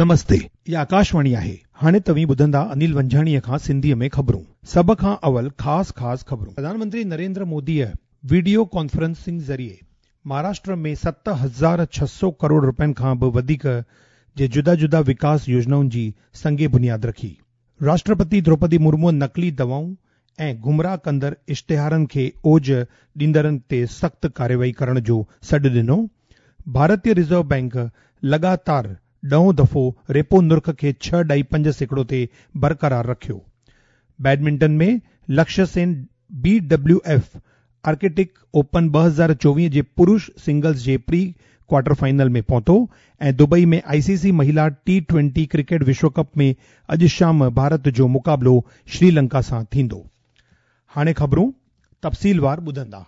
نمستي، هي آڪاشواڻي آهي. هاڻي توهين ٻڌندا انيل ونجهاڻيء کان سنڌيء ۾ خبرون. سڀ کان اول خاص خاص خبرون. پرڌان منتري نريندر موديء وڊيو ڪانفرنسنگ ذريعي مهاراشٽر ۾ 7600 ڪروڙ رپين کان به وڌيڪ جي جدا جدا وڪاس يوجنائن جي سنگ بنياد رکي. راشٽرپتي دروپدي مرموء نقلي دوائون ۽ گمراهه ڪندڙ اشتهارن کي اوج ڏيندڙن تي سخت ڪارروائي ڪرڻ جو سڏ ڏنو. ڀارتي رزرو بئنڪ لڳاتار ڏهون دفعو ريپو نرخ کي 6.5% تي برقرار رکيو. Badminton ۾ Lakshya Sen B W F Arctic Open 2024 جي پرش سنگلز جي پري ڪوارٽر فائنل ۾ پهتو ۽ دبئي ۾ آء سي سي مهيلا ٽي ٽوئنٽي ڪرڪيٽ وشو ڪپ ۾ اڄ شام ڀارت جو مقابلو شريلنڪا سان ٿيندو. هاڻي خبرون تفصيلوار ٻڌندا.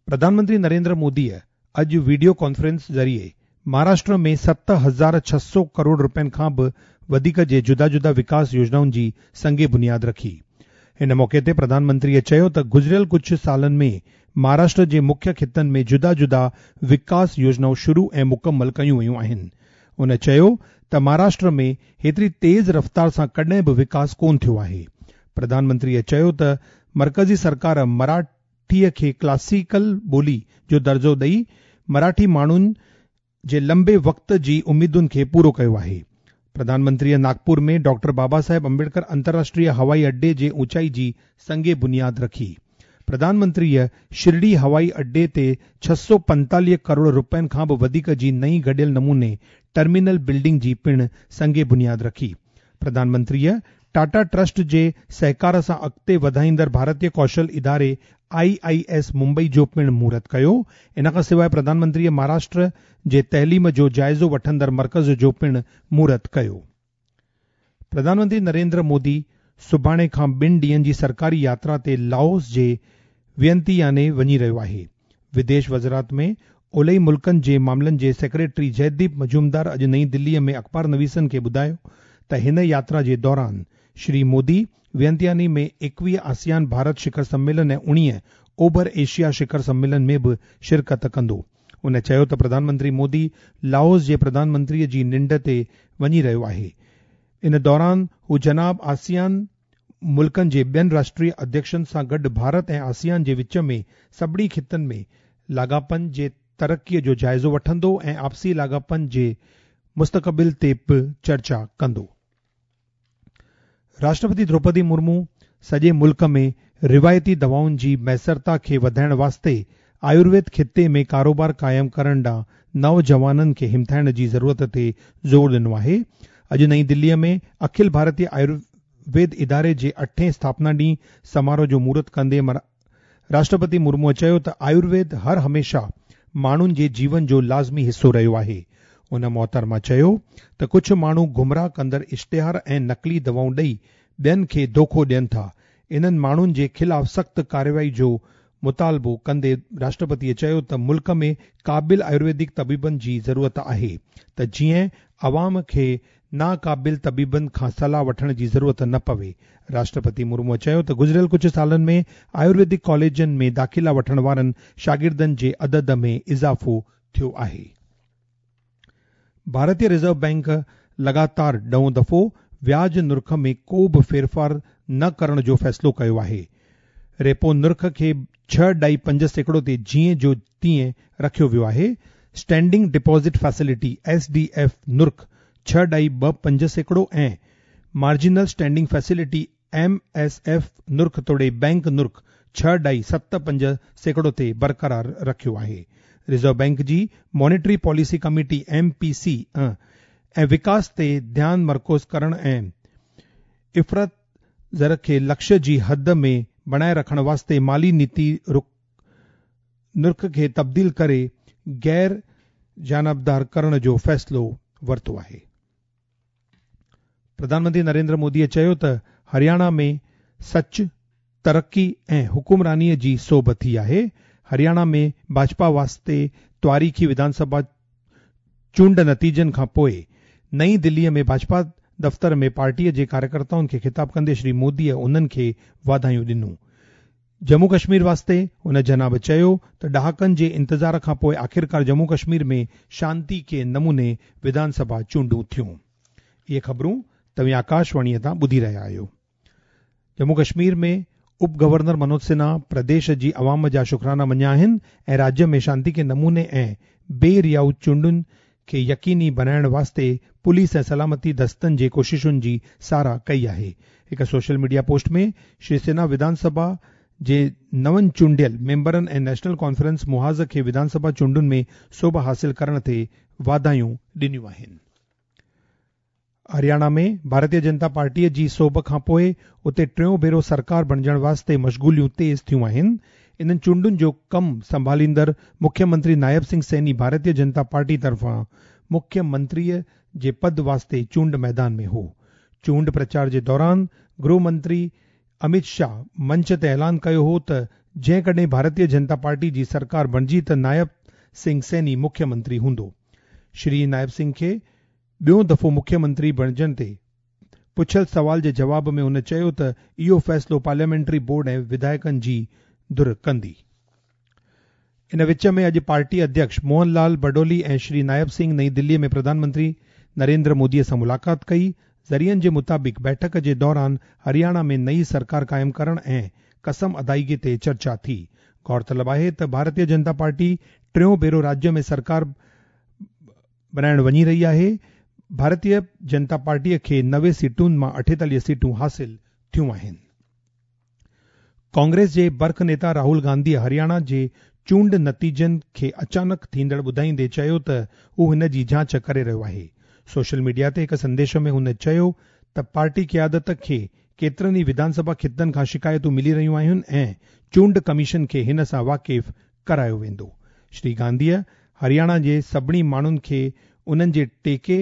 پرڌان منتري نريندر موديء اڄ وڊيو ڪانفرنس ذريعي مهاراشٽر ۾ 7600 ڪروڙ رپين کان به وڌيڪ جي جدا جدا وڪاس يوجنائن جي سنگ بنياد رکي. هن موقعي تي پرڌان منتريء چيو ته گذريل ڪجهه سالن ۾ مهاراشٽر جي مکيه خطن ۾ جدا جدا وڪاس يوجنائون شروع ۽ مڪمل ڪيون ويون آهن. هن چيو ته مهاراشٽر ۾ هيتري تيز رفتار سان ڪڏهن به وڪاس ڪونه ٿيو آهي. پرڌان منتريء چيو ته مرڪزي سرڪار مراٺيء کي ڪلاسيڪل ٻولي جو درجو ڏئي مراٺي ماڻهن جي لمبي وقت جي اميدن کي پورو ڪيو آهي. پرڌان منتريء ناگپور ۾ ڊاڪٽر بابا صاحب امبيڊڪر انترراشٽريه هوائي اڏي جي اوچائي جي سنگ بنياد رکي. پرڌان منتريء شرڊي هوائي اڏي تي 645 ڪروڙ رپين کان به وڌيڪ جي نئين گڏيل نموني ٽرمينل بلڊنگ جي پڻ سنگ بنياد رکي. پرڌان منتريء ٽاٽا ٽرسٽ جي سهڪار سان اڳتي وڌائيندڙ ڀارتيه ڪوشل اداري آء I S Mumbai جو پڻ مهورت ڪيو. ان کان سواء پرڌان منتريء مهاراشٽر جي تعليم جو جائزو وٺندڙ مرڪز جو پڻ مهورت ڪيو. پرڌان منتري نريندر مودي سڀاڻي کان ٻن ڏينهن جي سرڪاري ياترا تي لائوس جي وينتياني وڃي رهيو آهي. وديش وزارت ۾ اولهي ملڪن جي معاملن جي سيڪريٽري جئديپ مجومدار اڄ نئين دلي ۾ اخبار نويسن کي ٻڌايو ته هن ياترا جي دوران شري مودي وينتياني ۾ 21 آسيان ڀارت شکر سميلن ۽ 19 اوڀر ايشيا شکر سميلن ۾ به شرڪت ڪندو. هن چيو ته پرڌان منتري مودي لائوس جي پرڌان منتري جي ننڊ تي وڃي رهيو آهي. ان دوران هو جناب آسيان ملڪن جي ٻين راشٽريه اڌيڪشن سان گڏ ڀارت ۽ آسيان جي وچ ۾ سڀني خطن ۾ لاڳاپن جي ترقي جو جائزو وٺندو ۽ آپسي لاڳاپن جي مستقبل تي به چرچا ڪندو. راشٽرپتي دروپدي مرمو سڄي ملڪ ۾ روايتي دوائن جي ميسرتا کي وڌائڻ واسطي آيورويد خطي ۾ ڪاروبار قائم ڪرڻ ڏانهن نوجوانن کي همٿائڻ جي ضرورت تي زور ڏنو آهي. اڄ نئين دليء ۾ اکل ڀارتيه آيورويد اداري جي اٺين اسٿاپنا ڏينهن سماروهه جو مهورت ڪندي راشٽرپتي مرموء چيو ته آيورويد هر هميشه ماڻهن جي جيون جو لازمي حصو رهيو آهي. ان محترمه چيو ته ڪجهه ماڻهو گمراهه ڪندڙ اشتهار ۽ نقلي دوائون ڏئي ٻين کي دوکو ڏين ٿا، انهن ماڻهن جي خلاف سخت ڪارروائي جو مطالبو ڪندي راشٽرپتيء چيو ته ملڪ ۾ قابل آيورويدڪ طبيبن جي ضرورت آهي ته جيئن عوام کي ناقابل طبيبن کان صلاح وٺڻ جي ضرورت نه پوي. راشٽرپتي مرموء چيو ته گذريل ڪجهه سالن ۾ آيورويدڪ ڪاليجن ۾ داخلا وٺڻ وارن شاگردن جي عدد ۾ اضافو ٿيو آهي. ڀارتي رزرو بئنڪ لڳاتار ڏهون دفعو وياج نرخ ۾ ڪو به ڦيرڦار نه ڪرڻ جو فيصلو ڪيو آهي. ريپو نرخ کي 6.5% تي جيئن جو تيئن رکيو ويو آهي. Standing deposit facility, S D F, نرخ 6.25% ۽ marginal standing facility, M S F, نرخ توڙي بئنڪ نرخ 6.75% تي برقرار رکيو آهي. رزرو بئنڪ جي monetary policy committee, M P C, ۽ وڪاس تي ڌيان مرڪوز ڪرڻ ۽ افراط زر کي لڪشيه جي حد ۾ بڻائي رکڻ واسطي مالي نيتي نرخ کي تبديل ڪري غير جانبدار ڪرڻ جو فيصلو ورتو آهي. پرڌان منتري نريندر موديء چيو ته هرياڻا ۾ سچ، ترقي ۽ حڪمرانيء جي سوڀ ٿي آهي، هرياڻا ۾ ڀاجپا واسطي تواريخي وڌان سڀا چونڊ نتيجن کان پوء نئين دليء ۾ ڀاجپا دفتر ۾ پارٽيء جي ڪاريڪرتائن کي خطاب ڪندي شري موديء انهن کي واڌايون ڏنون. ڄمون ڪشمير واسطي هن جناب چيو ته ڏهاڪن جي انتظار کان پوءِ آخرڪار ڄمون ڪشمير ۾ شانتي ڪي نموني وڌان سڀا چونڊون ٿيون. اهي خبرون توهين آڪاشواڻيء تان ٻڌي رهيا آهيو. ڄمون ڪشمير ۾ اپ گورنر منوج سنها پرديش جي عوام جا شڪرانا مڃيا آهن ۽ راجيه ۾ شانتي ڪي نموني ۽ بي ريائو چونڊن کي يقيني بڻائڻ واسطي پوليس ۽ سلامتي دستن جي ڪوششن جي ساراهه ڪئي آهي. هڪ سوشل ميڊيا پوسٽ ۾ شري سنها وڌان سڀا جي نون چونڊيل ميمبرن ۽ نيشنل ڪانفرنس محاذ کي وڌان سڀا چونڊن ۾ سوڀ حاصل ڪرڻ تي واڌايون ڏنيون آهن. هرياڻا ۾ ڀارتيه جنتا پارٽيء جي سوڀ کانپوء اتي ٽيون ڀيرو سرڪار بڻجڻ واسطي مشغوليون تيز ٿيون آهن. انهن چونڊن جو ڪم سنڀاليندڙ مکيه منتري نائب سنگهه سيني ڀارتيه جنتا پارٽي طرفان مکيه منتريء جي پد واسطي چونڊ ميدان ۾ هو. چونڊ پرچار جي دوران گرهه منتري امت شاهه منچ تي اعلان ڪيو هو ته جيڪڏهن ڀارتيه جنتا پارٽي جي سرڪار بڻجي ته نائب سنگهه سيني مکيه منتري هوندو. شري نائب سنگهه کي ٻيون دفعو مکيه منتري بڻجڻ تي پڇيل سوال جي جواب ۾ هن چيو ته اهو فيصلو پارليامينٽري بورڊ ۽ وڌايڪن جي ڌر ڪندي. ان وچ ۾ اڄ پارٽي اڌيڪش موهن لال بڊولي ۽ شري نائب سنگهه نئين دلي ۾ پرڌان منتري نريندر مودي سان ملاقات ڪئي. ذريعن جي مطابق بيٺڪ جي دوران هرياڻا ۾ نئين سرڪار قائم ڪرڻ ۽ قسم ادائگي تي چرچا ٿي. غور طلب آهي ته ڀارتيه جنتا پارٽي ٽيون ڀيرو راجيه ۾ سرڪار بڻائڻ وڃي رهي آهي. ڀارتيه جنتا پارٽيء کي 90 سيٽن مان 48 سيٽون حاصل ٿيون آهن. ڪانگريس جي برک نيتا راهول گانڌيء هرياڻا جي چونڊ نتيجن کي اچانڪ ٿيندڙ ٻڌائيندي چيو ته هو هن جي جاچ ڪري رهيو آهي. سوشل ميڊيا تي هڪ سنديش ۾ هن چيو ته پارٽي قيادت کي ڪيترن ئي وڌان سڀا خطن کان شڪايتون ملي رهيون آهن ۽ چونڊ ڪميشن کي هن سان واقف ڪرايو ويندو. شري گانڌيء هرياڻا جي سڀني ماڻهن کي انهن جي ٽيڪي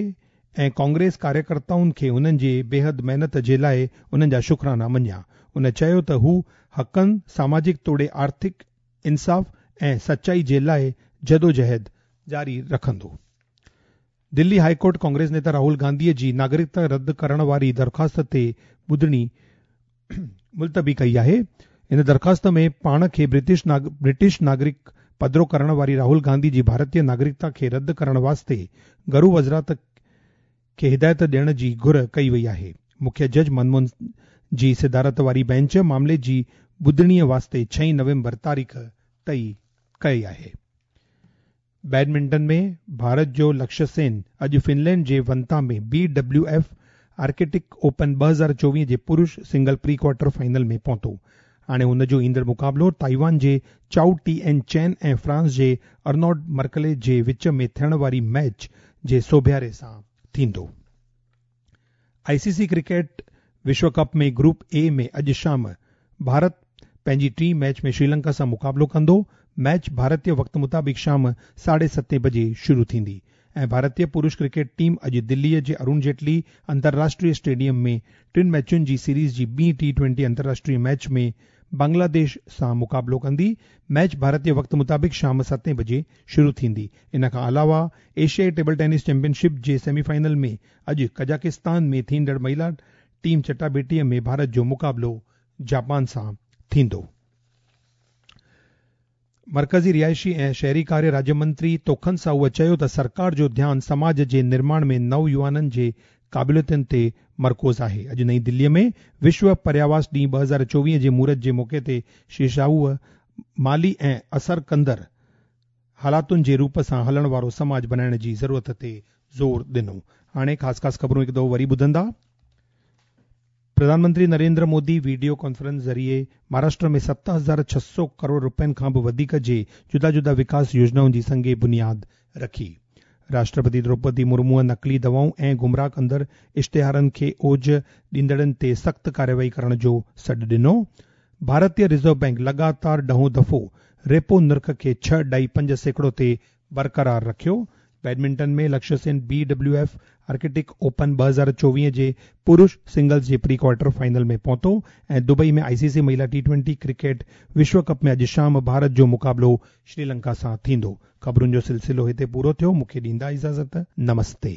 ۽ ڪانگريس ڪاريڪرتائن کي انهن جي بيحد محنت جي لاء انهن جا شڪرانا مڃيا. ان چيو ته هو حقن، ساماجڪ توڙي آرٿڪ انصاف ۽ سچائي جي لاء جدوجهد جاري رکندو. دلي هاء ڪورٽ ڪانگريس نيتا راهول گانڌيء جي ناگرڪتا رد ڪرڻ واري درخواست تي ٻڌڻي ملتوي ڪئي آهي. ان درخواست ۾ پاڻ کي برٽش ناگرڪ پڌرو ڪرڻ واري راهول گانڌي جي ڀارتيه ناگرڪتا کي رد ڪرڻ واسطي گهرو وزارت کي هدايت ڏيڻ جي گهر ڪئي وئي آهي. مکيه جج منموهن جي صدارت واري بينچ معاملي جي ٻڌڻي واسطي 6 نومبر تاريخ طئي ڪئي آهي. بيڊمنٽن ۾ ڀارت جو لڪشيه سين اڄ فنلينڊ جي ونتا ۾ B W F Arctic Open 2024 جي پرش سنگل پري ڪوارٽر فائنل ۾ پهتو. هاڻي هن جو ايندڙ مقابلو تائيوان جي چائو ٽي اين چين ۽ فرانس جي ارنوڊ مرڪلي جي وچ ۾ ٿيڻ واري ميچ جي سوڀياري سان ٿيندو. آء سي C cricket Vishu cup ۾ group A ۾ اڄ شام ڀارت پنهنجي ٽين ميچ ۾ شريلنڪا سان مقابلو ڪندو. ميچ ڀارتي وقت مطابق شام 7:30 بجي شروع ٿيندي ۽ ڀارتي پرش ڪرڪيٽ ٽيم اڄ دليء جي ارون جيٽلي انترراشٽريه اسٽيڊيم ۾ ٽن ميچن جي سيريز جي ٻي ٽي ٽوئنٽي انترراشٽريه ميچ ۾ بنگلاديش سان مقابلو ڪندي. ميچ ڀارتي وقت مطابق شام 7 بجي شروع ٿيندي. ان کان علاوه ايشيائي ٽيبل ٽينس چيمپيئن شپ جي سيمي فائنل ۾ اڄ قزاقستان ۾ ٿيندڙ مهلا ٽيم چٽاڀيٽيء ۾ ڀارت جو مقابلو جاپان سان ٿيندو. مرڪزي رهائشي ۽ شهري ڪاريه راجيه منتري توکن ساهوء چيو ته سرڪار جو ڌيان سماج جي نرماڻ ۾ نوجوانن جي قابليتن تي مرڪوز آهي. اڄ نئين دليء ۾ وشو پرياواس ڏينهن 2024 جي مهورت جي موقعي تي شري ساهوء مالي ۽ اثر ڪندڙ حالاتن جي روپ سان هلڻ وارو سماج بنائڻ جي ضرورت تي زور ڏنو. هاڻي خاص خاص خبرون هڪ دفعو وري ٻڌندا. پرڌان منتري نريندر مودي ويڊيو ڪانفرنس ذريعي مهاراشٽر ۾ 7600 ڪروڙ رپين کان به وڌيڪ جي جدا جدا وڪاس يوجنائن جي سنگ بنياد رکي. راشٽرپتي دروپدي مرموء نقلي دوائون ۽ گمراهه ڪندڙ اشتهارن کي اوج ڏيندڙن تي سخت ڪارروائي ڪرڻ جو سڏ ڏنو. ڀارتي رزرو بئنڪ لڳاتار ڏهون دفعو ريپو نرخ کي 6.5% تي برقرار رکيو. Badminton ۾ Lakshya Sen B W F Arctic Open 2024 جي پرش سنگلز جي پري ڪوارٽر فائنل ۾ پهتو ۽ دبئي ۾ آء سي سي مهلا ٽي ٽوئنٽي ڪرڪيٽ وشو ڪپ ۾ اڄ شام ڀارت جو مقابلو شريلنڪا سان ٿيندو. خبرن جو سلسلو هتي پورو ٿيو. مون کي ڏيندا اجازت. نمستي.